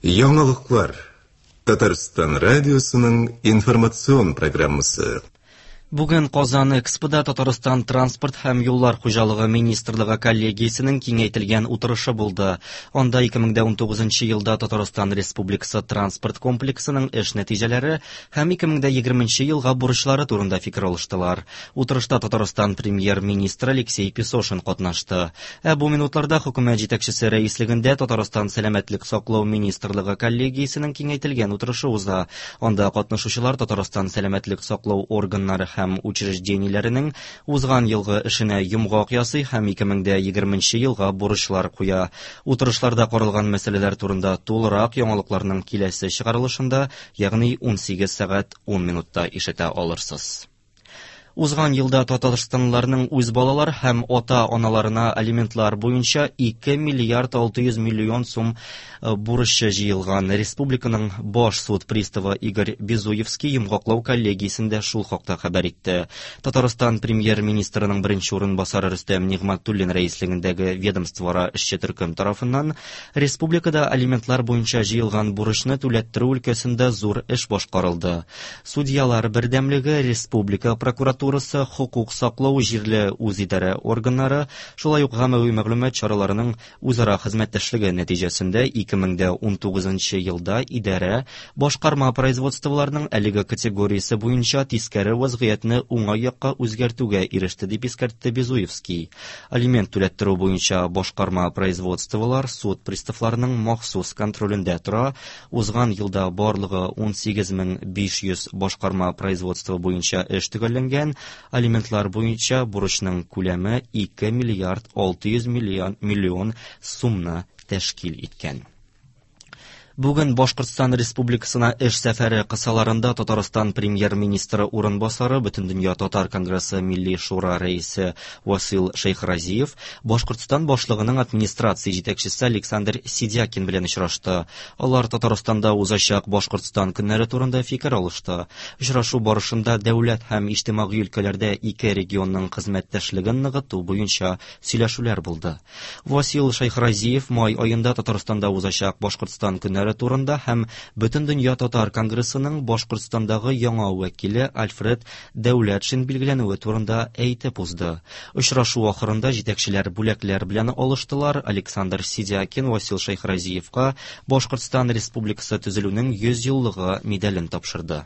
Яңалыклар. Татарстан радиосының информацион программасы. Бүген Казан Экспода Татарстан транспорт һәм юллар хуҗалыгы министрлыгы коллегиясенең киңәйтелгән утырышы булды. Анда 2019 елда Татарстан Республикасы транспорт комплексының эш нәтиҗәләре һәм 2020 елга бурычлары турында фикер алыштылар. Утырышта Татарстан премьер-министры Алексей Песошин катнашты. Ә бу минутларда хөкүмәт җитәкчесе рәислегендә Татарстан сәламәтлек саклау министрлыгы коллегиясенең киңәйтелгән утырышы уза. Анда катнашучылар Татарстан сәламәтлек саклау органнары һәм учреждениеләренең узган елгы эшенә йомгак ясый һәм 2020 елга бурычлар куя. Утырышларда каралган мәсьәләләр турында тулырак яңалыкларның киләсе чыгарылышында, ягъни 18 сәгать 10 минутта ишетә алырсыз. Узган елда татарстанлыларның үз балалар һәм ата-аналарына алиментлар буенча 2 миллиард 600 миллион сум э, бурычы җыелган. Республиканың баш суд приставы Игорь Безуевский йомгаклау коллегиясендә шул хакта хәбәр итте. Татарстан премьер-министрының беренче урынбасары Рөстәм Нигъмәтуллин рәислегендәге ведомствоара эшче төркем тарафыннан республикада алиментлар буенча җыелган бурычны түләттерү өлкәсендә зур эш башкарылды. Судьялар бердәмлеге, республика прокуратурасы, хокук саклау җирле үзидарә органнары, шулай ук гамәви мәгълүмат чараларының үзара хезмәттәшлеге нәтиҗәсендә 2019 елда идарә башкарма производстволарның әлеге категориясе буенча тискәре вазгыятьне уңай якка үзгәртүгә иреште, дип искәртте Безуевский. Алимент түләттерү буенча башкарма производстволар суд приставларының махсус контролендә тора. Узган елда барлыгы 18500 башкарма производство буенча эш төгәлләнгән, алиментлар буенча бурычның күләме 2 миллиард 600 миллион, миллион сумны тәшкил иткән. Бүген Башкортстан Республикасына эш сәфәре кысаларында Татарстан премьер-министры урынбасары, Бөтендөнья татар конгрессы Милли шура рәисе Васил Шәйхразиев Башкортстан башлыгының администрация җитәкчесе Александр Сидякин белән очрашты. Алар Татарстанда узачак Башкортстан көннәре турында фикер алышты. Очрашу барышында дәүләт һәм иҗтимагый өлкәләрдә ике регионның хезмәттәшлеген ныгыту буенча сөйләшүләр булды. Васил Шәйхразиев май аенда Татарстанда узачак Башкортстан көннәре турында һәм Бөтендөнья татар конгрессының Башкортстандагы яңа вәкиле Альфред Дәүләтшин билгеләнүе турында әйтеп узды. Очрашу ахырында җитәкчеләр бүләкләр белән алыштылар. Александр Сидякин Васил Шәйхразиевка Башкортстан Республикасы төзелүнең 100 еллыгы медален тапшырды.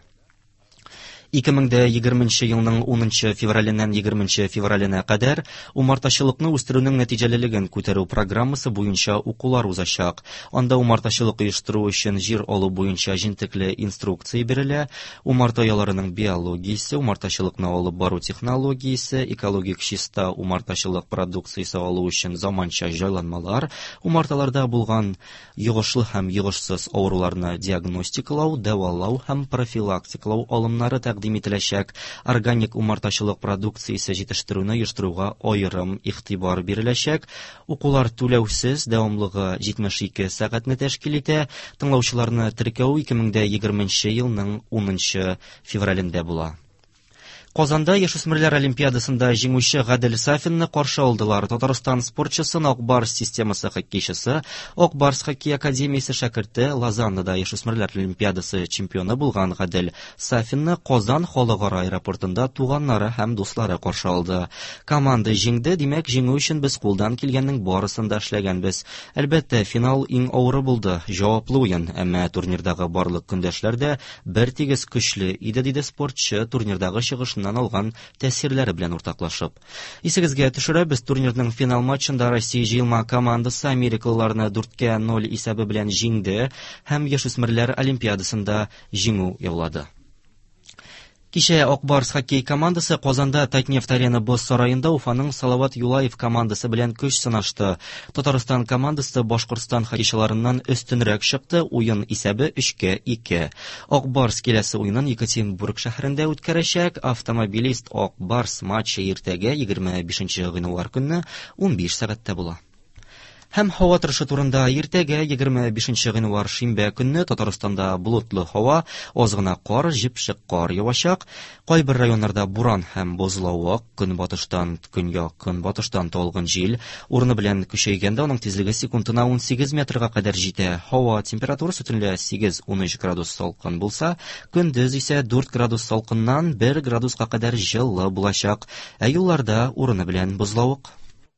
2020 елның 10 февраленнән 20 февраленә кадәр умартачылыкны үстерүнең нәтиҗәлелеген күтәрү программасы буенча укулар узачак. Анда умартачылык оештыру өчен җир алу буенча җентекле инструкция бирелә, Умарта ояларының биологиясе, умартачылыкны алып бару технологиясе, экологик чиста умартачылык продукциясе алу өчен заманча җайланмалар, умарталарда булган йогышлы һәм йогышсыз авыруларны диагностикалау, дәвалау һәм профилактикалау алымнары тәкъдим ителәчәк. Органик умартачылык продукциясе җитештерүне оештыруга аерым игътибар биреләчәк. Укулар түләүсез, дәвамлыгы 72 сәгатьне тәшкил итә. Тыңлаучыларны теркәү 2020 елның 10 февралендә була. Казанда яшүсмерләр олимпиадасында җиңүче Гадел Сафинны каршы алдылар. Татарстан спортчысын Ак Барс системасы хоккейчысы, Ак Барс хоккей академиясе шәкерте, Лозаннада яшүсмерләр олимпиадасы чемпионы булган Гадел Сафинны Казан халыкара аэропортында туганнары һәм дуслары каршы алды. Команда җиңде, димәк, җиңү өчен без кулдан килгәннең барысын да эшләгәнбез. Әлбәттә, финал иң авыры булды, җаваплы уен, әмма турнирдагы барлык көндәшләр дә бертигез көчле иде, диде спортчы турнирдагы чыгышыннан алган тәэсирләре белән уртаклашып. Исегезгә төшерәбез, турнирның финал матчында Россия җыелма командасы америкалыларны 4-0 исәбе белән җиңде һәм яшүсмерләр олимпиадасында җиңү яулады. Кичә Ак Барс хоккей командасы Казанда Татнефть Арена боз сараенда Уфаның Салават Юлаев командасы белән көч сынашты. Татарстан командасы Башкортстан хоккейчыларыннан өстенрәк чыкты, уен исәбе 3-2. Ак Барс киләсе уенын Екатеринбург шәһәрендә үткәрәчәк. Автомобилист Ак Барс матчы иртәгә 25 гыйнвар көнне 15 сәгатьтә була. Һәм һава торышы турында иртәгә 25 гыйнвар шимбә көнне Татарстанда болытлы һава, аз гына кар, җепшек кар явачак. Кайбер районнарда буран һәм бозлавык, көнбатыштан көньяк көнбатыштан талгын җил, урыны белән көчәйгәндә аның тизлеге секундына 18 метрга кадәр җитә. Һава температурасы төнлә 8-13 градус салкын булса, көндез исә 4 градус салкыннан 1 градуска кадәр җылы булачак. Ә юлларда урыны белән бозлавык.